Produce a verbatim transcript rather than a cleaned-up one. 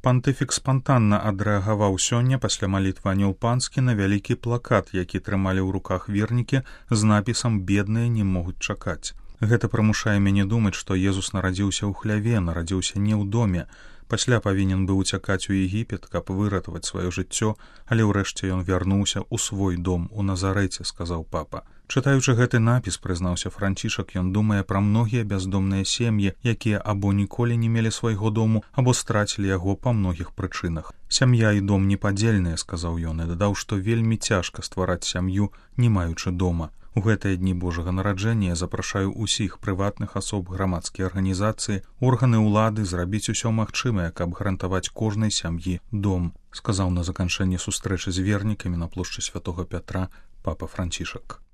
Пантыфік спантанна адрэагаваў сёння пасля малітвы анёл панскі на вялікі плакат, які трымалі ў руках вернікі з напісам «Бедныя не могуць чакаць». Гэта прымушае мяне думаць, што Езус нарадзіўся ў хляве, нарадзіўся не ў доме. Пасля павінен быў уцякаць у Егіпет, каб выратаваць сваё жыццё, але ўрэшце ён вярнуўся ў свой дом у Назарэце, сказаў папа. Чытаючы гэты напіс, прызнаўся Францішак, ён думае пра многія бяздомныя сем'і, якія або ніколі не мелі свайго дому, або страцілі яго па многіх прычынах. Сям'я і дом непадзельныя, сказаў ён, і дадаў, што вельмі цяжка ствараць сям'ю, не маючы дома. У гэтыя дні Божага нараджэння я запрашаю ўсіх прыватных асоб, грамадскія арганізацыі, органы ўлады зрабіць усё магчымае, каб гарантаваць кожнай сям'і дом, сказаў на заканчэнне сустрэчы з вернікамі на плошчы Святога Пятра папа Францішак.